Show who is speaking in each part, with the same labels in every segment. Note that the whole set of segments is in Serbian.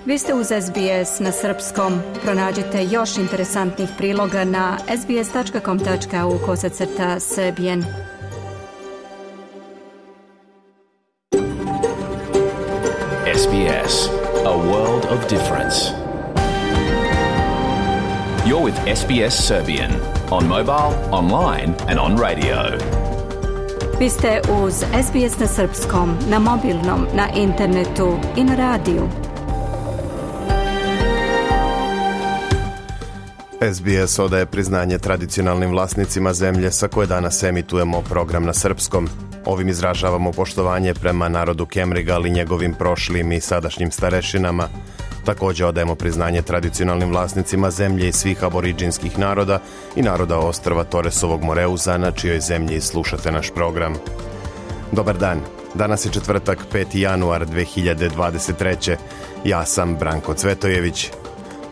Speaker 1: Vi ste uz SBS na srpskom. Pronađite još interesantnih priloga na sbs.com.au/serbian.
Speaker 2: SBS, a world of difference. You're with SBS Serbian on mobile, online and on radio.
Speaker 1: Vi ste uz SBS na srpskom, na mobilnom, na internetu i na radiju.
Speaker 3: SBS odaje priznanje tradicionalnim vlasnicima zemlje sa koje danas emitujemo program na srpskom. Ovim izražavamo poštovanje prema narodu Kemrigal i njegovim prošlim i sadašnjim starešinama. Također odajemo priznanje tradicionalnim vlasnicima zemlje i svih aboriđinskih naroda i naroda ostrva Toresovog Moreuza, na čijoj zemlji slušate naš program. Dobar dan, danas je četvrtak 5. januar 2023. Ja sam Branko Cvetojević.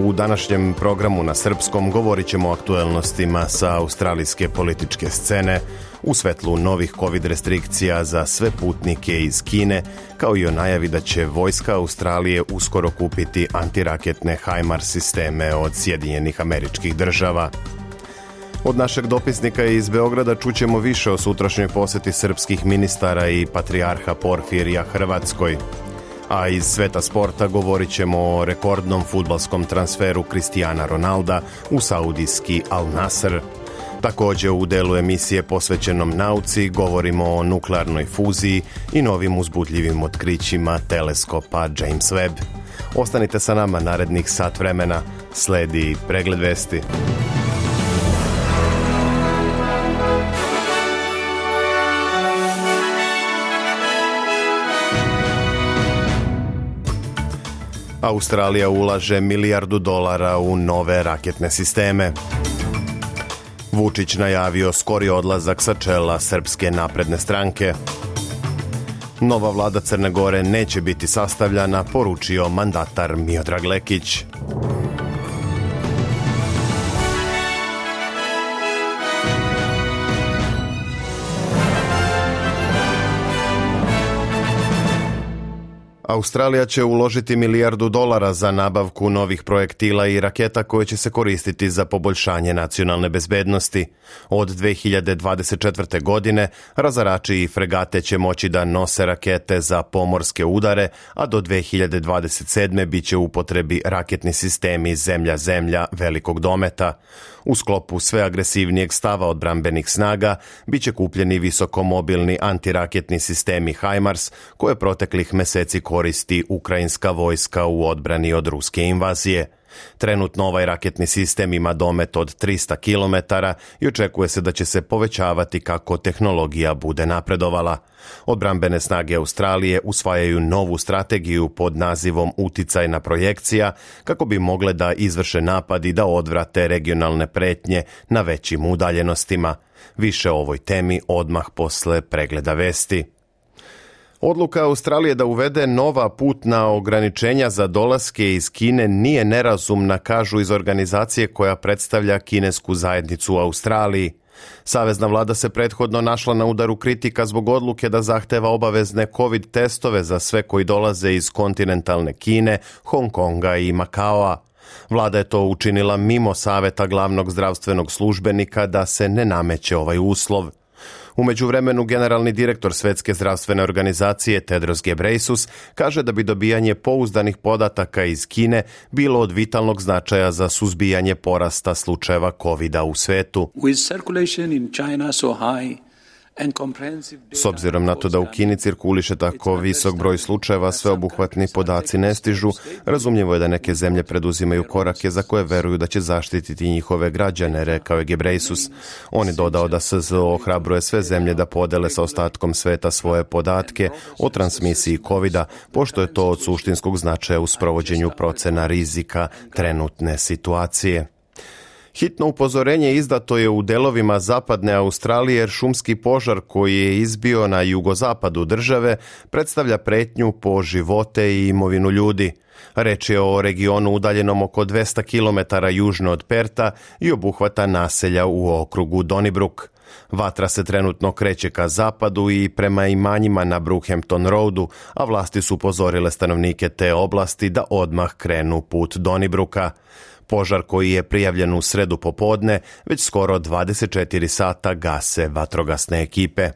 Speaker 3: U današnjem programu na srpskom govorit ćemo o aktuelnostima sa australijske političke scene, u svetlu novih COVID restrikcija za sve putnike iz Kine, kao i o najavi da će vojska Australije uskoro kupiti antiraketne HIMARS sisteme od Sjedinjenih Američkih Država. Od našeg dopisnika iz Beograda čućemo više o sutrašnjoj posjeti srpskih ministara i patrijarha Porfirija Hrvatskoj. A iz sveta sporta govorit ćemo o rekordnom fudbalskom transferu Cristiana Ronalda u saudijski Al Nasr. Također u delu emisije posvećenom nauci govorimo o nuklearnoj fuziji i novim uzbudljivim otkrićima teleskopa James Webb. Ostanite sa nama narednih sat vremena, sledi pregled vesti. Australija ulaže $1 milijardu u nove raketne sisteme. Vučić najavio skori odlazak sa čela Srpske napredne stranke. Nova vlada Crne Gore neće biti sastavljana, poručio mandatar Miodrag Lekić. Australija će uložiti $1 milijardu za nabavku novih projektila i raketa koje će se koristiti za poboljšanje nacionalne bezbednosti. Od 2024. godine razarači i fregate će moći da nose rakete za pomorske udare, a do 2027. bit će u upotrebi raketni sistemi zemlja-zemlja velikog dometa. U sklopu sve agresivnijeg stava odbrambenih snaga bit će kupljeni visokomobilni antiraketni sistemi HIMARS koje proteklih meseci koristi ukrajinska vojska u odbrani od ruske invazije. Trenutno ovaj raketni sistem ima domet od 300 km i očekuje se da će se povećavati kako tehnologija bude napredovala. Odbrambene snage Australije usvajaju novu strategiju pod nazivom uticajna projekcija kako bi mogle da izvrše napad i da odvrate regionalne pretnje na većim udaljenostima. Više o ovoj temi odmah posle pregleda vesti. Odluka Australije da uvede nova putna ograničenja za dolaske iz Kine nije nerazumna, kažu iz organizacije koja predstavlja kinesku zajednicu u Australiji. Savezna vlada se prethodno našla na udaru kritika zbog odluke da zahteva obavezne COVID testove za sve koji dolaze iz kontinentalne Kine, Hong Konga i Makaoa. Vlada je to učinila mimo saveta glavnog zdravstvenog službenika da se ne nameće ovaj uslov. U međuvremenu generalni direktor Svetske zdravstvene organizacije Tedros Ghebreyesus kaže da bi dobijanje pouzdanih podataka iz Kine bilo od vitalnog značaja za suzbijanje porasta slučajeva COVID-a u svetu. S obzirom na to da u Kini cirkuliše tako visok broj slučajeva, sveobuhvatni podaci ne stižu, razumljivo je da neke zemlje preduzimaju korake za koje veruju da će zaštititi njihove građane, rekao je Ghebreyesus. On je dodao da SZO ohrabruje sve zemlje da podele sa ostatkom sveta svoje podatke o transmisiji COVID-a, pošto je to od suštinskog značaja u sprovođenju procena rizika trenutne situacije. Hitno upozorenje izdato je u delovima zapadne Australije jer šumski požar koji je izbio na jugozapadu države predstavlja pretnju po živote i imovinu ljudi. Reč je o regionu udaljenom oko 200 km južno od Perta i obuhvata naselja u okrugu Donnybrook. Vatra se trenutno kreće ka zapadu i prema imanjima na Brookhampton Roadu, a vlasti su upozorile stanovnike te oblasti da odmah krenu put Donnybrooka. Požar koji je prijavljen u sredu popodne, već skoro 24 sata gase vatrogasne ekipe.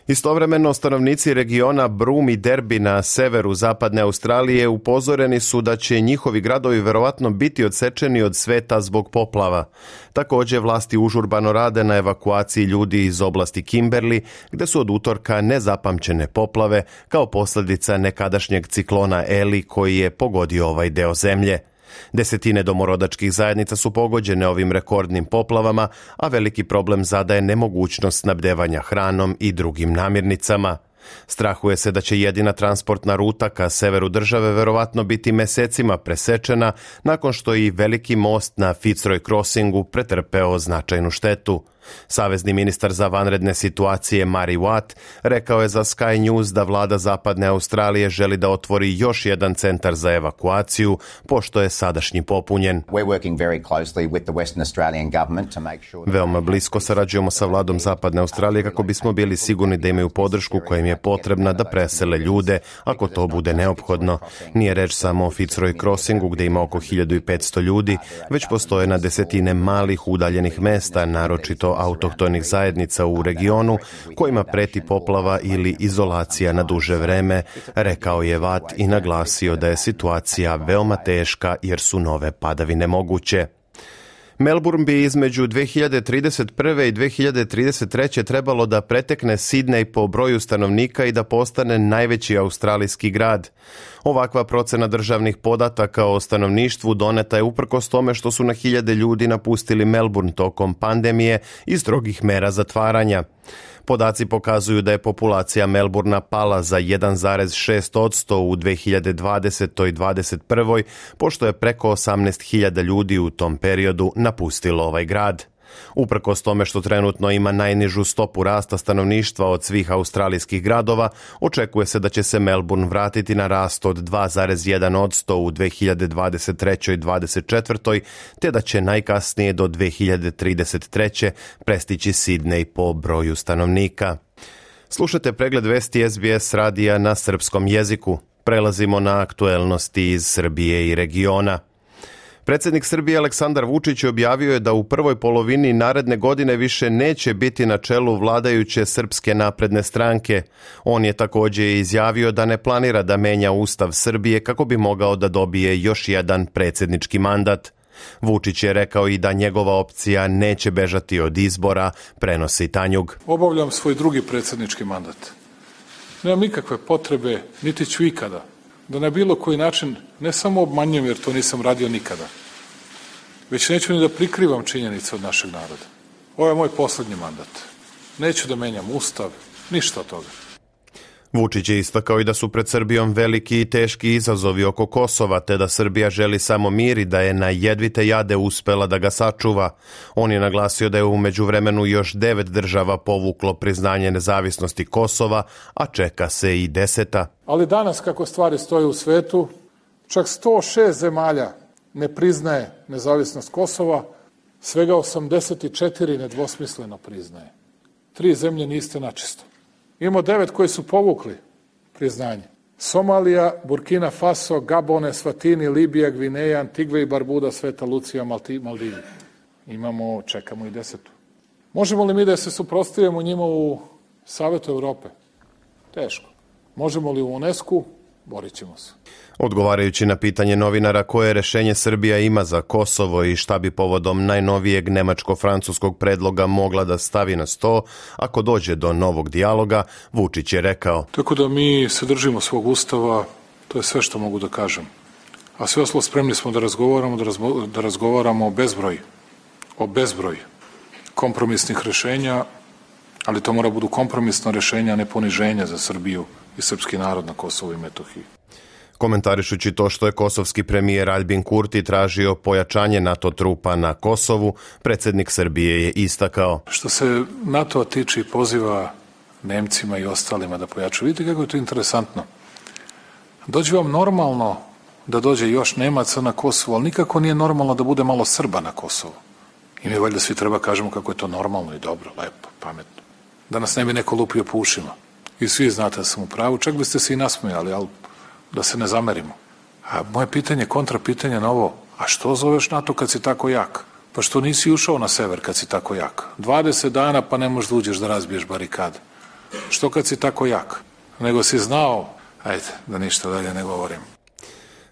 Speaker 3: Istovremeno, stanovnici regiona Broome i Derby na severu zapadne Australije upozoreni su da će njihovi gradovi verovatno biti odsečeni od sveta zbog poplava. Također, vlasti užurbano rade na evakuaciji ljudi iz oblasti Kimberley, gde su od utorka nezapamćene poplave kao posljedica nekadašnjeg ciklona Eli koji je pogodio ovaj deo zemlje. Desetine domorodačkih zajednica su pogođene ovim rekordnim poplavama, a veliki problem zadaje nemogućnost snabdevanja hranom i drugim namirnicama. Strahuje se da će jedina transportna ruta ka severu države verovatno biti mesecima presečena nakon što i veliki most na Fitzroy Crossingu pretrpeo značajnu štetu. Savezni ministar za vanredne situacije Murray Watt rekao je za Sky News da vlada zapadne Australije želi da otvori još jedan centar za evakuaciju, pošto je sadašnji popunjen. Veoma blisko sarađujemo sa vladom zapadne Australije kako bismo bili sigurni da imaju podršku koja im je potrebna da presele ljude ako to bude neophodno. Nije reč samo o Fitzroy Crossingu gde ima oko 1500 ljudi, već postoje na desetine malih udaljenih mesta, naročito autohtonih zajednica u regionu kojima preti poplava ili izolacija na duže vreme, rekao je Watt i naglasio da je situacija veoma teška jer su nove padavine moguće. Melbourne bi između 2031. i 2033. trebalo da pretekne Sidney po broju stanovnika i da postane najveći australijski grad. Ovakva procena državnih podataka o stanovništvu doneta je uprkos tome što su na hiljade ljudi napustili Melbourne tokom pandemije i strogih mera zatvaranja. Podaci pokazuju da je populacija Melbourna pala za 1,6% u 2020. i 2021. pošto je preko 18.000 ljudi u tom periodu napustilo ovaj grad. Uprkos tome što trenutno ima najnižu stopu rasta stanovništva od svih australijskih gradova, očekuje se da će se Melbourne vratiti na rast od 2,1% u 2023. i 2024. te da će najkasnije do 2033. prestići Sidney po broju stanovnika. Slušate pregled vesti SBS radija na srpskom jeziku. Prelazimo na aktuelnosti iz Srbije i regiona. Predsjednik Srbije Aleksandar Vučić objavio je da u prvoj polovini naredne godine više neće biti na čelu vladajuće Srpske napredne stranke. On je također izjavio da ne planira da menja Ustav Srbije kako bi mogao da dobije još jedan predsjednički mandat. Vučić je rekao i da njegova opcija neće bežati od izbora, prenosi Tanjug.
Speaker 4: Obavljam svoj drugi predsjednički mandat. Nemam nikakve potrebe, niti ću ikada, da na bilo koji način ne samo obmanjujem jer to nisam radio nikada, već neću ni da prikrivam činjenice od našeg naroda. Ovo je moj posljednji mandat. Neću da menjam Ustav, ništa od toga.
Speaker 3: Vučić je istakao i da su pred Srbijom veliki i teški izazovi oko Kosova, te da Srbija želi samo mir i da je na jedvite jade uspela da ga sačuva. On je naglasio da je u međuvremenu još 9 država povuklo priznanje nezavisnosti Kosova, a čeka se i 10.
Speaker 4: Ali danas, kako stvari stoje u svetu, čak 106 zemalja ne priznaje nezavisnost Kosova, svega 84 nedvosmisleno priznaje. 3 zemlje niste načisto. Imamo 9 koji su povukli priznanje. Somalija, Burkina Faso, Gabon, Eswatini, Libija, Gvineja, Antigve i Barbuda, Sveta Lucija, Maldivi. Čekamo i 10. Možemo li mi da se suprotstavimo njima u Savetu Evrope? Teško. Možemo li u UNESCO? Borit ćemo se.
Speaker 3: Odgovarajući na pitanje novinara koje rešenje Srbija ima za Kosovo i šta bi povodom najnovijeg nemačko-francuskog predloga mogla da stavi na sto ako dođe do novog dijaloga, Vučić je rekao.
Speaker 4: Tako da mi se držimo svog ustava, to je sve što mogu da kažem. A sve ostalo spremni smo da razgovaramo o bezbroj kompromisnih rešenja, ali to mora budu kompromisna rešenja, a ne poniženja za Srbiju i srpski narod na Kosovu i Metohiji.
Speaker 3: Komentarišući to što je kosovski premijer Albin Kurti tražio pojačanje NATO trupa na Kosovu, predsjednik Srbije je istakao.
Speaker 4: Što se NATO-a tiče i poziva Nemcima i ostalima da pojačaju, vidite kako je to interesantno. Dođe vam normalno da dođe još Nemaca na Kosovo, ali nikako nije normalno da bude malo Srba na Kosovu. I mi valjda svi treba kažemo kako je to normalno i dobro, lepo, pametno. Da nas ne bi neko lupio po ušima. I svi znate da sam u pravu, čak biste se i nasmijali, ali da se ne zamerimo. A moje pitanje, kontra pitanje na ovo, a što zoveš NATO kad si tako jak? Pa što nisi ušao na sever kad si tako jak? 20 dana pa ne možeš da uđeš da razbiješ barikade. Što kad si tako jak? Nego si znao, ajde, da ništa dalje ne govorim.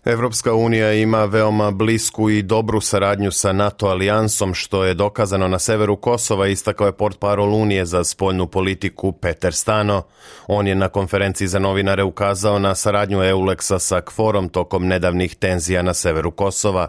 Speaker 3: Evropska unija ima veoma blisku i dobru saradnju sa NATO alijansom, što je dokazano na severu Kosova, istakao je portparol Unije za spoljnu politiku Peter Stano. On je na konferenciji za novinare ukazao na saradnju EULEX-a sa KFOR-om tokom nedavnih tenzija na severu Kosova.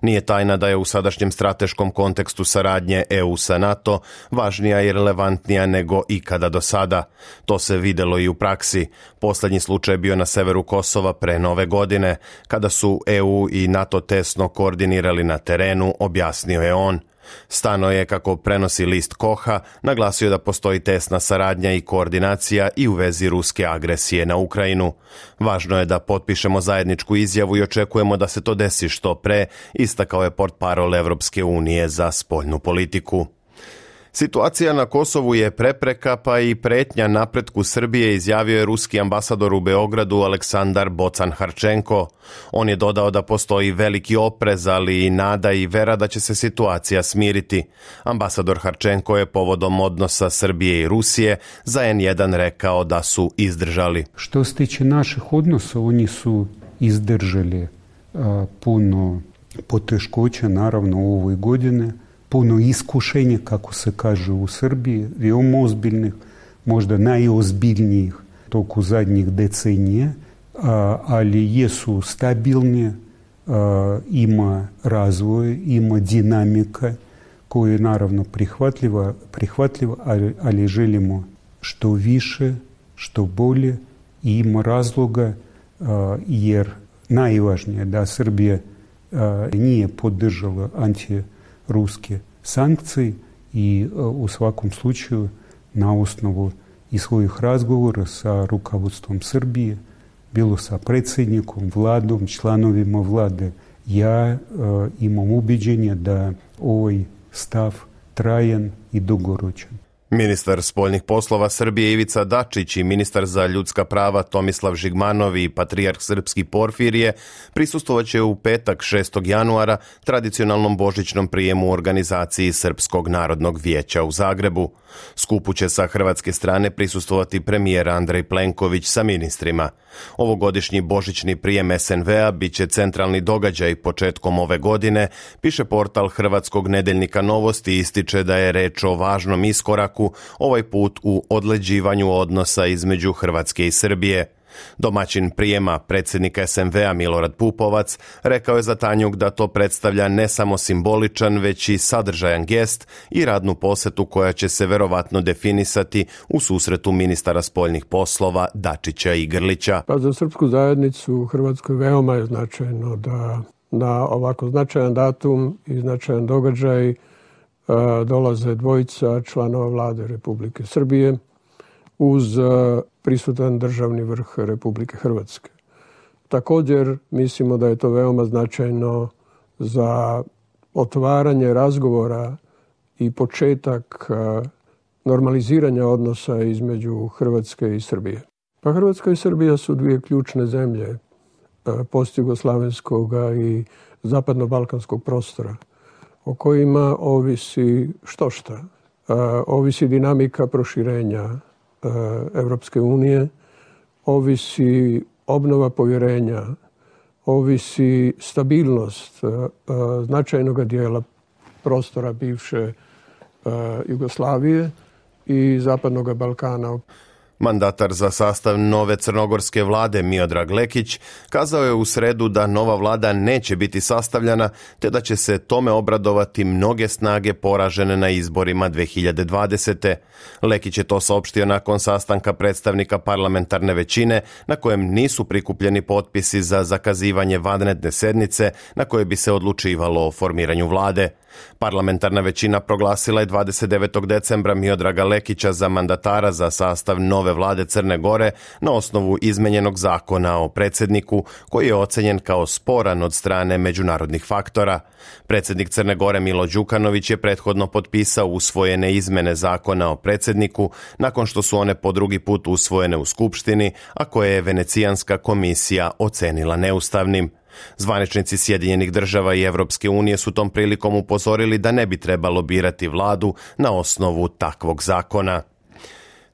Speaker 3: Nije tajna da je u sadašnjem strateškom kontekstu saradnje EU sa NATO važnija i relevantnija nego ikada do sada. To se videlo i u praksi. Poslednji slučaj je bio na severu Kosova pre Nove godine, kada su EU i NATO tesno koordinirali na terenu, objasnio je on. Stano je, kako prenosi list Koha, naglasio da postoji tesna saradnja i koordinacija i u vezi ruske agresije na Ukrajinu. Važno je da potpišemo zajedničku izjavu i očekujemo da se to desi što pre, istakao je portparol Evropske unije za spoljnu politiku. Situacija na Kosovu je prepreka pa i pretnja napretku Srbije, izjavio je ruski ambasador u Beogradu Aleksandar Bocan-Harčenko. On je dodao da postoji veliki oprez, ali i nada i vera da će se situacija smiriti. Ambasador Harčenko je povodom odnosa Srbije i Rusije za N1 rekao da su izdržali.
Speaker 5: Što se tiče naših odnosa, oni su izdržali puno poteškoća, naravno u ovoj godine, puno iskušenja, kako se kaže u Srbiji, veoma ozbiljnih, možda najozbiljnijih toku zadnjih decenija, ali jesu stabilni, ima razvoj, ima dinamika koja je naravno prihvatljiva, ali želimo što više, što bolje i ima razloga, jer najvažnije da Srbija nije podržala antiruske sankcije i u svakom slučaju na osnovu i svojih razgovora sa rukovodstvom Srbije, bilo sa predsjednikom, vladom, članovima vlade, ja imam ubeđenje da ovaj stav trajan i dugoročan.
Speaker 3: Ministar spoljnih poslova Srbije Ivica Dačić i ministar za ljudska prava Tomislav Žigmanov i patrijarh srpski Porfirije prisustvovaće u petak 6. januara tradicionalnom božićnom prijemu u organizaciji Srpskog narodnog vijeća u Zagrebu. Skupu će sa hrvatske strane prisustvovati premijer Andrej Plenković sa ministrima. Ovogodišnji božićni prijem SNV-a bit će centralni događaj početkom ove godine, piše portal hrvatskog nedeljnika Novosti i ističe da je reč o važnom iskoraku, ovaj put u odleđivanju odnosa između Hrvatske i Srbije. Domaćin prijema, predsjednik SNV-a Milorad Pupovac, rekao je za Tanjug da to predstavlja ne samo simboličan, već i sadržajan gest i radnu posetu koja će se verovatno definisati u susretu ministara spoljnih poslova Dačića i Grlića.
Speaker 6: Pa za srpsku zajednicu u Hrvatskoj veoma je značajno da na ovako značajan datum i značajan događaj dolaze dvojica članova vlade Republike Srbije uz prisutan državni vrh Republike Hrvatske. Također mislimo da je to veoma značajno za otvaranje razgovora i početak normaliziranja odnosa između Hrvatske i Srbije. Pa Hrvatska i Srbija su dvije ključne zemlje postjugoslavenskog i zapadno-balkanskog prostora o kojima ovisi štošta. Ovisi dinamika proširenja Evropske unije, ovisi obnova povjerenja, ovisi stabilnost značajnog dijela prostora bivše Jugoslavije i Zapadnog Balkana.
Speaker 3: Mandatar za sastav nove crnogorske vlade Miodrag Lekić kazao je u sredu da nova vlada neće biti sastavljena, te da će se tome obradovati mnoge snage poražene na izborima 2020. Lekić je to saopštio nakon sastanka predstavnika parlamentarne većine na kojem nisu prikupljeni potpisi za zakazivanje vanredne sednice na kojoj bi se odlučivalo o formiranju vlade. Parlamentarna većina proglasila je 29. decembra Miodraga Lekića za mandatara za sastav nove vlade Crne Gore na osnovu izmenjenog zakona o predsjedniku koji je ocenjen kao sporan od strane međunarodnih faktora. Predsjednik Crne Gore Milo Đukanović je prethodno potpisao usvojene izmene zakona o predsjedniku nakon što su one po drugi put usvojene u Skupštini, a koje je Venecijanska komisija ocenila neustavnim. Zvaničnici Sjedinjenih država i Evropske unije su tom prilikom upozorili da ne bi trebalo birati vladu na osnovu takvog zakona.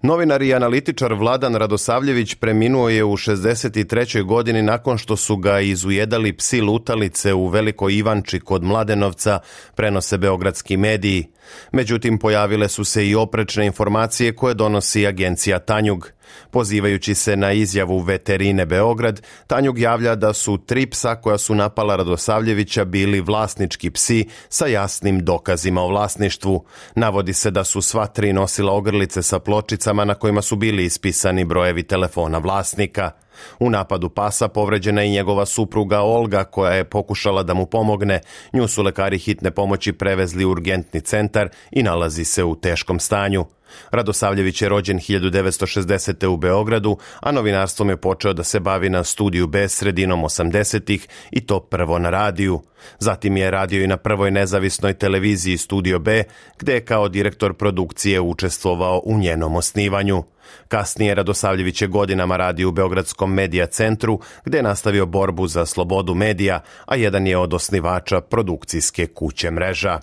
Speaker 3: Novinar i analitičar Vladan Radosavljević preminuo je u 63. godini nakon što su ga izujedali psi lutalice u Velikoj Ivanči kod Mladenovca, prenose beogradski mediji. Međutim, pojavile su se i oprečne informacije koje donosi agencija Tanjug. Pozivajući se na izjavu Veterine Beograd, Tanjug javlja da su 3 psa koja su napala Radosavljevića bili vlasnički psi sa jasnim dokazima o vlasništvu. Navodi se da su sva 3 nosila ogrlice sa pločicama na kojima su bili ispisani brojevi telefona vlasnika. U napadu pasa povređena je i njegova supruga Olga koja je pokušala da mu pomogne. Nju su lekari hitne pomoći prevezli u urgentni centar i nalazi se u teškom stanju. Radosavljević je rođen 1960. u Beogradu, a novinarstvom je počeo da se bavi na Studiju B sredinom 80-ih i to prvo na radiju. Zatim je radio i na prvoj nezavisnoj televiziji Studio B, gde je kao direktor produkcije učestvovao u njenom osnivanju. Kasnije Radosavljević je godinama radio u Beogradskom medija centru, gde je nastavio borbu za slobodu medija, a jedan je od osnivača produkcijske kuće Mreža.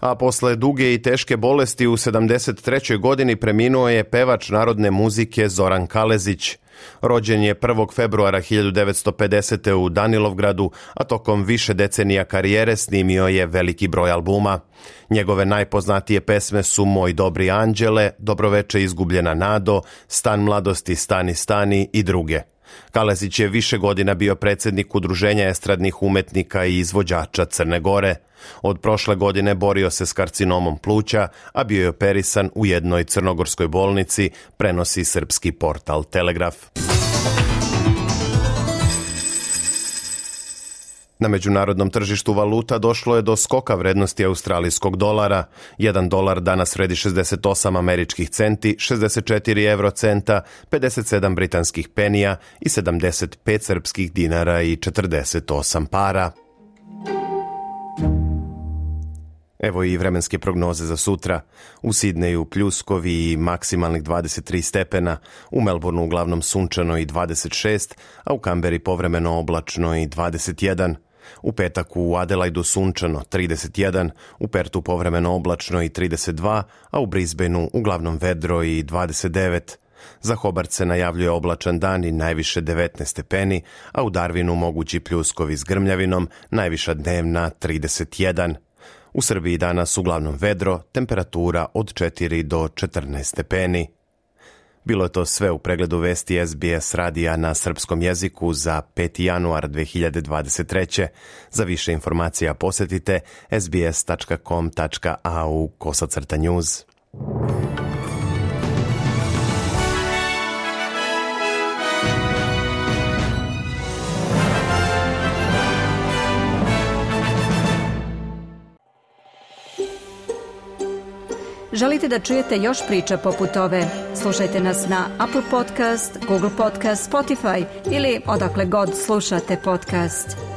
Speaker 3: A posle duge i teške bolesti u 73. godini preminuo je pevač narodne muzike Zoran Kalezić. Rođen je 1. februara 1950. u Danilovgradu, a tokom više decenija karijere snimio je veliki broj albuma. Njegove najpoznatije pesme su Moj dobri anđele, Dobroveče izgubljena nado, Stan mladosti, Stani stani i druge. Kalezić je više godina bio predsjednik Udruženja estradnih umetnika i izvođača Crne Gore. Od prošle godine borio se s karcinomom pluća, a bio je operisan u jednoj crnogorskoj bolnici, prenosi srpski portal Telegraf. Na međunarodnom tržištu valuta došlo je do skoka vrednosti australijskog dolara. 1 dolar danas vredi 68 američkih centi, 64 eurocenta, 57 britanskih penija i 75 srpskih dinara i 48 para. Evo i vremenske prognoze za sutra. U Sidneju pljuskovi i maksimalnih 23 stepena, u Melbourneu uglavnom sunčano i 26, a u Kamberi povremeno oblačno i 21. U petak u Adelaidu sunčano 31, u Pertu povremeno oblačno i 32, a u Brisbaneu uglavnom vedro i 29. Za Hobart se najavljuje oblačan dan i najviše 19 stepeni, a u Darwinu mogući pljuskovi s grmljavinom, najviša dnevna 31. U Srbiji danas uglavnom vedro, temperatura od 4 do 14 stepeni. Bilo je to sve u pregledu vesti SBS radija na srpskom jeziku za 5. januar 2023. Za više informacija posjetite sbs.com.au/news.
Speaker 1: Želite da čujete još priča poput ove? Slušajte nas na Apple Podcast, Google Podcast, Spotify ili odakle god slušate podcast.